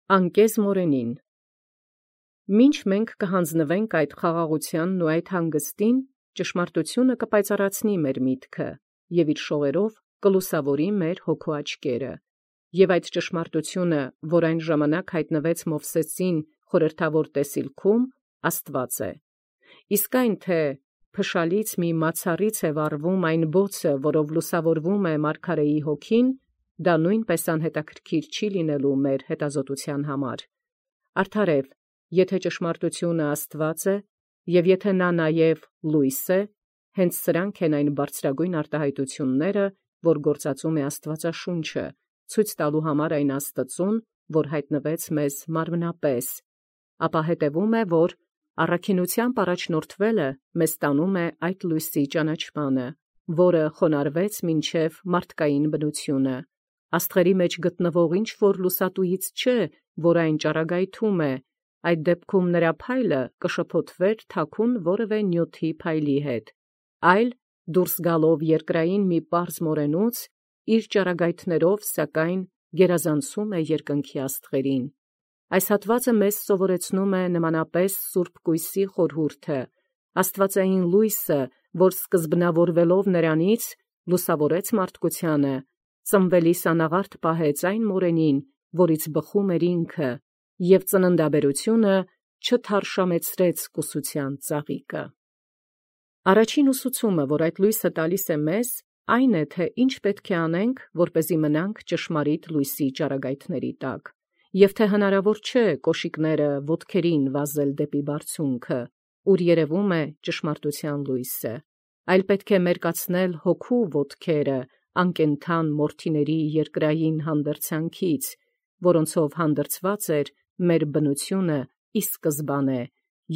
Անկեզ մորենին։ Մինչ մենք կհանձնվենք այդ խաղաղությանն ու այդ հանգստին, ճշմարտությունը կպայծառացնի մեր միտքը և իր շողերով կլուսավորի մեր հոգու աչքերը։ Եվ այդ ճշմարտությունը, որ այն ժամանակ հայտնվեց Մովսեսին խորհրդավոր տեսիլքում, Աստված է։ Իսկ այն թե փշալից մի մացառից է վառվում այն բոցը, որով լուսավորվում է մարգարեի հոգին, դա նույնպես անհետաքրքիր չի լինելու մեր հետազոտության համար։ Արդարև, եթե ճշմարտությունը Աստված է, և եթե նա նաև լույս է, հենց սրանք են այն բարձրագույն արտահայտությունները, որ գործածում է Աստվածաշունչը, ցույց տալու համար այն Աստծուն, որ հայտնվեց մեզ մարմնապես, ապա հետևում է, որ առաքինությամբ առաջնորդվելը մեզ տանում է այդ լույսի ճանաչմանը, որը խոնարհվեց մինչև մարդկային բնությունը։ Աստղերի մեջ գտնվող ինչ-որ լուսատուից չէ, որ այն ճառագայթում է, այդ դեպքում նրա փայլը կշփոթվեր թաքուն որևէ նյութի փայլի հետ, այլ դուրս գալով երկրային մի պարզ մորենուց, իր ճառագայթներով սակայն գերազանցում է երկնքի աստղերին։ Այս հատվածը մեզ սովորեցնում է նմանապես Սուրբ Կույսի խորհուրդը, աստվածային լույսը, որ սկզբնավորվելով նրանից լուսավորեց մարդկությանը, ծնվելիս անաղարտ պահեց այն մորենին, որից բխում էր ինքը, և ծննդաբերությունը չթարշամեցրեց կուսության ծաղիկը։ Առաջին ուսուցումը, որ այդ լույսը տալիս է մեզ, այն է, թե ինչ պետք է անենք, որպեսզի մնանք ճշմարիտ լույսի ճառագայթների տակ, և թե հնարավոր չէ կոշիկները ոտքերին վազել դեպի բարձունքը, ուր երևում է ճշմարտության լույսը, այլ պետք է մերկացնել հոգու ոտքերը անկենդան մորթիների երկրային հանդերձանքից, որոնցով հանդերձված էր մեր բնությունը ի սկզբանե,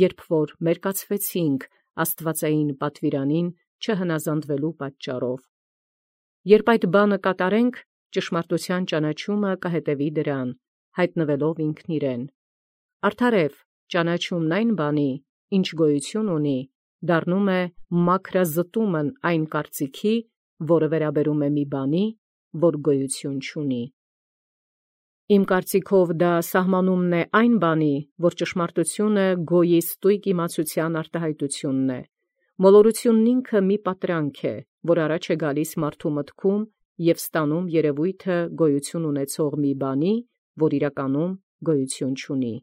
երբ որ մերկացվեցինք աստվածային պատվիրանին չհնազանդվելու պատճառով։ Երբ այդ բանը կատարենք, ճշմարտության ճանաչումը կհետևի դրան, հայտնվելով ինքն իրեն։ Արդարև, ճանաչումն այն բանի, ինչ գոյություն ունի, դառնում է մաքրազտումն այն կարծիքի, որը վերաբերում է մի բանի, որ գոյություն չունի։ Իմ կարծիքով դա սահմանումն է այն բանի, որ ճշմարտությունը գոյի ստույգ իմացության արտահայտությունն է։ Մոլորությունն ինքը մի պատրանք է, որ առաջ է գալիս մարդու մտքում և ստանում երևույթը գոյություն ունեցող մի բանի, որ իրականում գոյություն չունի։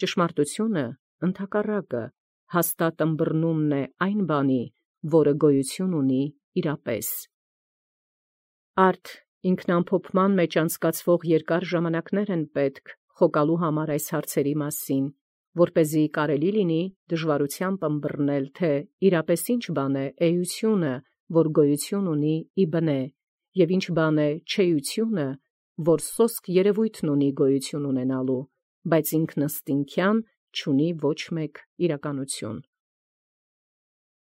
Ճշմարտությունը, ընդհակառակը, հաստատ ըմբռնումն է այն բանի, որը գոյություն ունի իրապես։ Արդ ինքնամփոփման մեջ անցկացվող երկար ժամանակներ են պետք խոկալու համար այս հարցերի մասին, որպեսզի կարելի լինի դժվարությամբ ըմբռնել, թե իրապես ինչ բան է էությունը, որ գոյություն ունի ի բնե, և ինչ բան է չեությունը, որ սոսկ երևույթն ունի գոյություն ունենալու, բայց ինքնըստինքյան չունի ոչ մեկ իրականություն։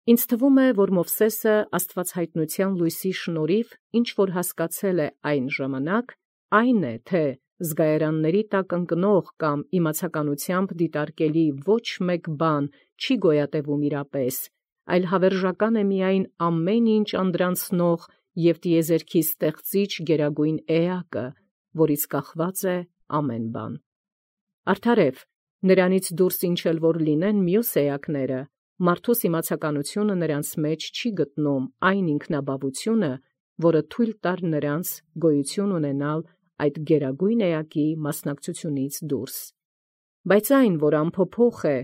Ինձ թվում է, որ Մովսեսը աստվածհայտնության լույսի շնորհիվ ինչ որ հասկացել է այն ժամանակ, այն է, թե զգայարանների տակ ընկնող կամ իմացականությամբ դիտարկելի ոչ մեկ բան չի գոյատևում իրապես, այլ հավերժական է միայն ամեն ինչ անդրանցնող և տիեզերքի ստեղծիչ գերագույն էակը, որից կախված է ամեն բան։ Արդարև, նրանից դուրս ինչ էլ որ լինեն մյուս էակները, մարդուս իմացականությունը նրանց մեջ չի գտնում այն ինքնաբավությունը, որը թույլ տար նրանց գոյություն ունենալ այդ գերագույն էակի մասնակցությունից դուրս։ Բայց այն, որ անփոփոխ է,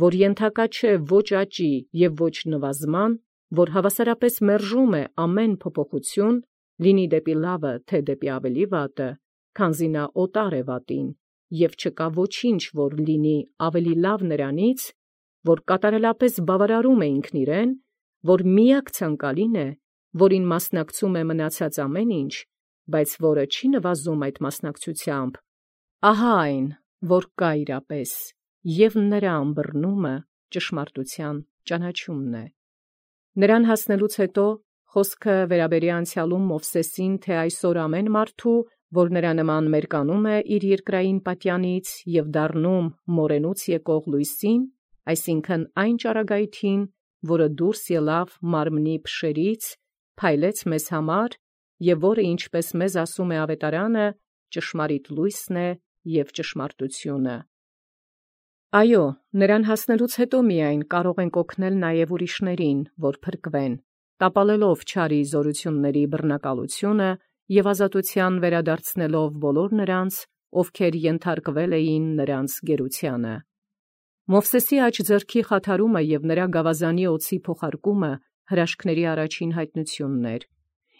որ ենթակա չէ ոչ աճի և ոչ նվազման, որ հավասարապես մերժում է ամեն փոփոխություն, լինի դեպի լավը, թե դեպի ավելի վատը, քանզի նա օտար է վատին, և չկա ոչինչ, որ լինի ավելի լավ նրանից, որ կատարելապես բավարարում է ինքն իրեն, որ միակ ցանկալին է, որին մասնակցում է մնացած ամեն ինչ, բայց որը չի նվազում այդ մասնակցությամբ, ահա այն, որ կա իրապես, և նրա ըմբռնումը ճշմարտության ճանաչումն է։ Նրան հասնելուց հետո խոսքը վերաբերի անցյալում Մովսեսին, թե այսօր ամեն մարդու, որ նրա նման մերկանում է իր երկրային պատյանից և դառնում մորենուց եկող լույսին, այսինքն այն ճառագայթին, որը դուրս ելավ մարմնի փշերից, փայլեց մեզ համար, և որը, ինչպես մեզ ասում է Ավետարանը, ճշմարիտ լույսն է, և ճշմարտությունը։ Այո, նրան հասնելուց հետո միայն կարող ենք օգնել նաև ուրիշներին, որ փրկվեն, տապալելով չարի զորությունների բռնակալությունը և ազատության վերադարձնելով բոլոր նրանց, ովքեր ենթարկվել էին նրանց գերությանը։ Մովսեսի աջ ձեռքի խաթարումը և նրա գավազանի օձի փոխարկումը հրաշքների առաջին հայտնությունն էր։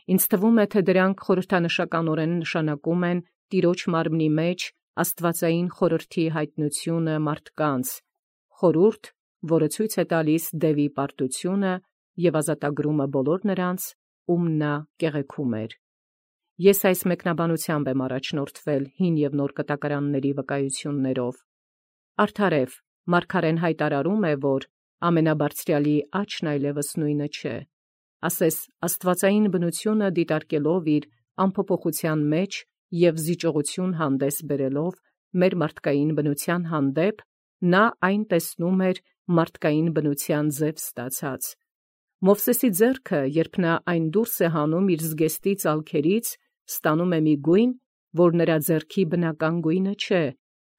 Ինձ թվում է, թե դրանք խորհրդանշականորեն նշանակում են Տիրոջ մարմնի մեջ աստվածային խորհրդի հայտնությունը մարդկանց, խորհուրդ, որը ցույց է տալիս դևի պարտությունը և ազատագրումը բոլոր նրանց, ում նա կեղեքում էր։ Ես այս մեկնաբանությամբ եմ առաջնորդվել հին և նոր կտակարանների վկայություններով։ Արդարև, մարգարեն հայտարարում է, որ ամենաբարձրյալի աչքն այլևս նույնը չէ, ասես աստվածային բնությունը դիտարկելով իր անփոփոխության մեջ և զիջողություն հանդես բերելով մեր մարդկային բնության հանդեպ, նա այն տեսնում էր մարդկային բնության ձև ստացած։ Մովսեսի ձեռքը, երբ նա այն դուրս է հանում իր զգեստի ծալքերից, ստանում է մի գույն, որ նրա ձեռքի բնական գույնը չէ,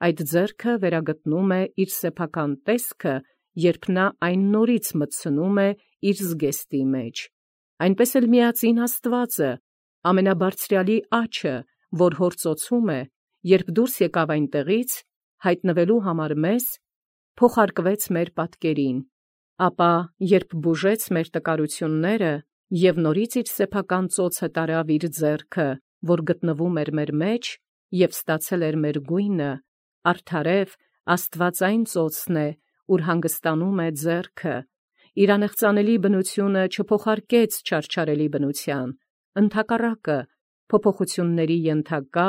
այդ ձեռքը վերագտնում է իր սեփական տեսքը, երբ նա այն նորից մտցնում է իր զգեստի մեջ։ Այնպես էլ միածին Աստվածը, ամենաբարձրյալի աջը, որ հոր ծոցում է, երբ դուրս եկավ այնտեղից, հայտնվելու համար մեզ, փոխարկվեց մեր պատկերին, ապա երբ բուժեց մեր տկարությունները և նորից իր սեփական ծոցը տարավ իր ձեռքը, որ գտնվում էր մեր մեջ և ստացել էր մեր գույնը, արդարև Աստված այն ծոցն է, ուր հանգստանում է ձեռքը, իր անեղծանելի բնությունը չփոխարկեց չարչարելի բնության, ընդհակառակը, փոփոխությունների ենթակա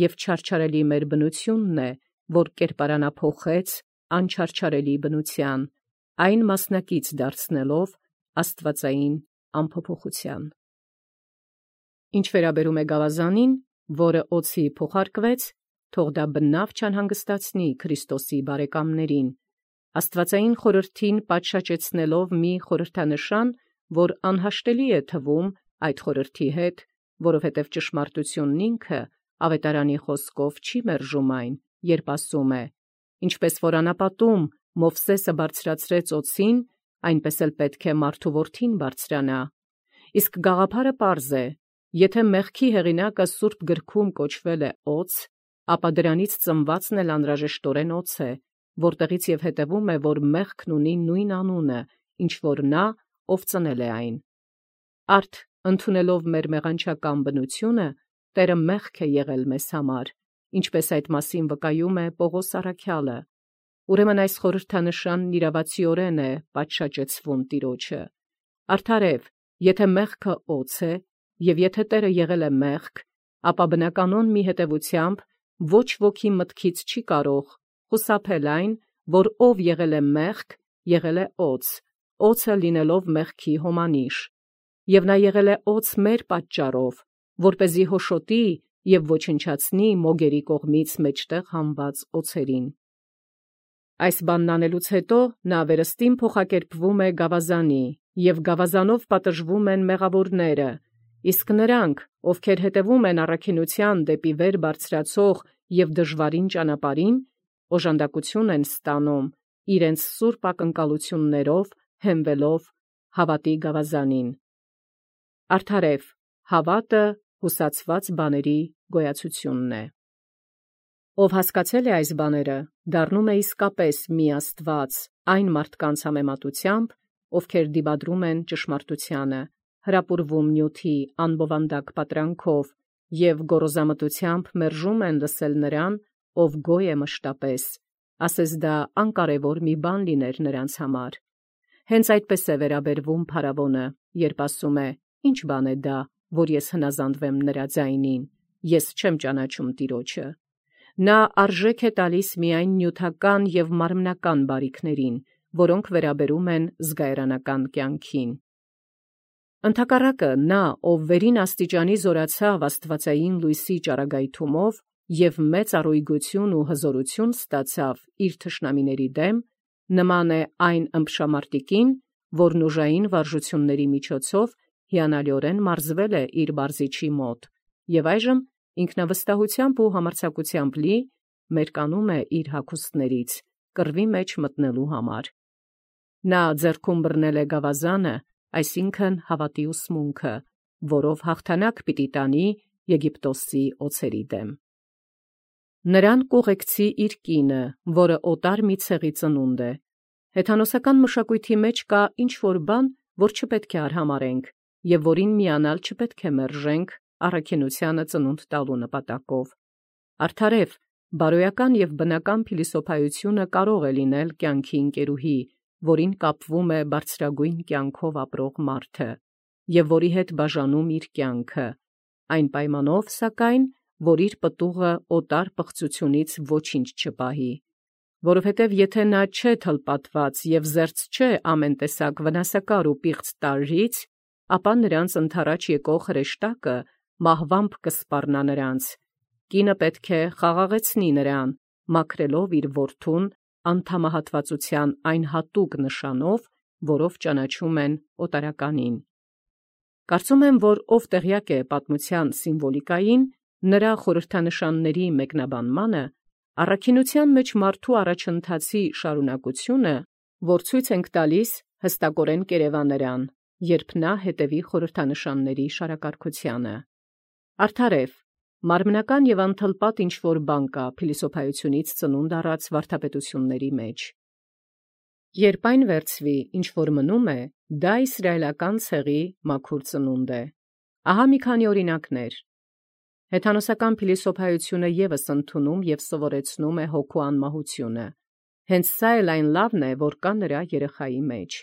և չարչարելի մեր բնությունն է, որ կերպարանափոխեց անչարչարելի բնության, այն մասնակից դարձնելով աստվածային անփոփոխության։ Ինչ վերաբերում է գավազանին, որը օձի փոխարկվեց, թող դա բնավ չանհանգստացնի Քրիստոսի բարեկամներին, աստվածային խորհրդին պատշաճեցնելով մի խորհրդանշան, որ անհաշտելի է թվում այդ խորհրդի հետ, որովհետև ճշմարտությունն ինքը ավետարանի խոսքով չի մերժում այն, երբ ասում է. «Ինչպես որ անապատում Մովսեսը բարձրացրեց օձին, այնպես էլ պետք է մարդու որդին բարձրանա»։ Իսկ գաղափարը պարզ է. եթե մեղքի հեղինակը Սուրբ գրքում կոչվել է օձ, ապա դրանից ծնվածն էլ անհրաժեշտորեն օձ է, որտեղից և հետևում է, որ մեղքն ունի նույն անունը, ինչ որ նա, ով ծնել է այն։ Արդ ընդունելով մեր մեղանչական բնությունը, Տերը մեղք է եղել մեզ համար, ինչպես այդ մասին վկայում է Պողոս առաքյալը։ Ուրեմն այս խորհրդանշանն իրավացիորեն է պատշաճեցվում Տիրոջը։ Արդարև, եթե մեղքը օձ է, և եթե Տերը եղել է մեղք, ապա բնականon մի հետևությամբ ոչ ոքի մտքից չի կարող խուսափել այն, որ ով եղել է մեղք, եղել է օձ, օձը լինելով մեղքի հոմանիշ, և նա եղել է օձ մեր պատճառով, որպեսզի հոշոտի և ոչնչացնի մոգերի կողմից մեջտեղ հանված օձերին։ Այս բանն անելուց հետո նա վերստին փոխակերպվում է գավազանի, և գավազանով պատժվում են մեղավորները, իսկ նրանք, ովքեր հետևում են առաքինության դեպի վեր բարձրացող և դժվարին ճանապարհին, օժանդակություն են ստանում իրենց սուրբ ակնկալություններով հենվելով հավատի գավազանին։ Արդարև, հավատը հուսացված բաների գոյացությունն է։ Ով հասկացել է այս բաները, դառնում է իսկապես մի Աստված այն մարդկանց համեմատությամբ, ովքեր դիմադրում են ճշմարտությանը, հրապուրվում նյութի անբովանդակ պատրանքով և գոռոզամտությամբ մերժում են լսել նրան, ով գոյ է մշտապես, ասես դա անկարևոր մի բան լիներ նրանց համար։ Հենց այդպես է վերաբերվում փարավոնը, երբ ասում է. «Ի՞նչ բան է դա, որ ես հնազանդվեմ նրա ձայնին, ես չեմ ճանաչում Տիրոջը»։ Նա արժեք է տալիս միայն նյութական և մարմնական բարիքներին, որոնք վերաբերում են զգայարանական կյանքին։ Ընդհակառակը, նա, ով վերին աստիճանի զորացավ աստվածային լույսի ճառագայթումով և մեծ առույգություն ու հզորություն ստացավ իր թշնամիների դեմ, նման է այն ըմբշամարտիկին, որն ուժային վարժությունների միջոցով հիանալիորեն մարզվել է իր մարզիչի մոտ, և այժմ ինքնավստահությամբ ու համարձակությամբ լի մերկանում է իր հագուստներից, կռվի մեջ մտնելու համար։ Նա ձեռքում բռնել է գավազանը, այսինքն հավատի ուսմունքը, որով հաղթանակ պիտի տանի Եգիպտոսի օձերի դեմ։ Նրան կուղեկցի իր կինը, որը օտար մի ցեղի ծնունդ է։ Հեթանոսական մշակույթի մեջ կա ինչ-որ բան, որ չպետք է արհամարենք, և որին միանալ չպետք է մերժենք առաքինությանը ծնունդ տալու նպատակով։ Արդարև, բարոյական և բնական փիլիսոփայությունը կարող է լինել կյանքի ընկերուհի, որին կապվում է բարձրագույն կյանքով ապրող մարդը, և որի հետ բաժանում իր կյանքը, այն պայմանով, սակայն, որ իր պտուղը օտար պղծությունից ոչինչ չպահի, որովհետև եթե նա չէ թլպատված և զերծ չէ ամեն տեսակ վնասակար ու պիղծ տարրից, ապա նրանց ընդառաջ եկող հրեշտակը մահվամբ կսպառնա նրանց։ Կինը պետք է խաղաղեցնի նրան, մաքրելով իր որդուն անդամահատվածության այն հատուկ նշանով, որով ճանաչում են օտարականին։ Կարծում եմ, որ ով տեղյակ է պատմության սիմվոլիկային, նրա խորհրդանշանների մեկնաբանմանը, առաքինության մեջ մարդու առաջընթացի շարունակությունը, որ ցույց ենք տալիս, հստակորեն կերևա նրան, երբ նա հետևի խորհրդանշանների շարակարգությանը։ Արդարև, մարմնական և անթլպատ ինչ-որ բան կա փիլիսոփայությունից ծնունդ առած վարդապետությունների մեջ։ Երբ այն վերցվի, ինչ որ մնում է, դա իսրայելական ցեղի մաքուր ծնունդ է։ Ահա մի քանի օրինակներ։ Հեթանոսական փիլիսոփայությունը ևս ընդունում և սովորեցնում է հոգու անմահությունը։ Հենց սա էլ այն լավն է, որ կա նրա երեխայի մեջ։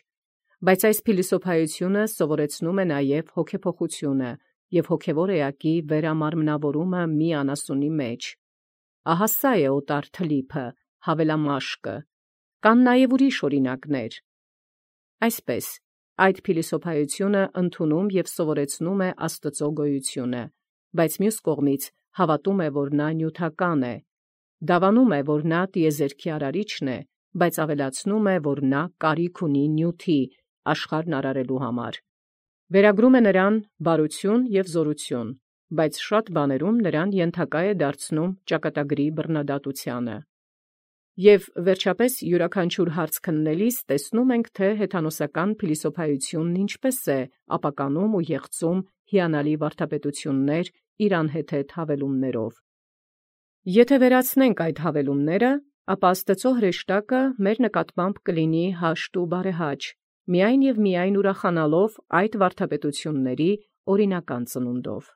Բայց այս փիլիսոփայությունը սովորեցնում է նաև հոգեփոխությունը և հոգևոր էակի վերամարմնավորումը մի անասունի մեջ։ Ահա սա է օտար թլիփը, հավելամաշկը։ Կան նաև ուրիշ օրինակներ։ Այսպես, այդ փիլիսոփայությունը ընդունում և սովորեցնում է Աստծո գոյությունը, բայց մյուս կողմից հավատում է, որ նա նյութական է, դավանում է, որ նա տիեզերքի արարիչն է, բայց ավելացնում է, որ նա կարիք ունի նյութի, աշխարհն արարելու համար։ Վերագրում է նրան բարություն և զորություն, բայց շատ բաներում նրան ենթակա է դարձնում ճակատագրի բռնադատությանը։ Եվ վերջապես յուրաքանչյուր հարց քննելիս տեսնում ենք, թե հեթանոսական փիլիսոփայությունն ինչպես է ապականում ու եղծում հիանալի վարդապետություններ իր անհեթեթ հավելումներով։ Եթե վերացնենք այդ հավելումները, ապա Աստծո հրեշտակը մեր նկատմամբ կլինի հաշտ ու բարեհաճ, միայն և միայն ուրախանալով այդ վարդապետությունների օրինական ծնունդով։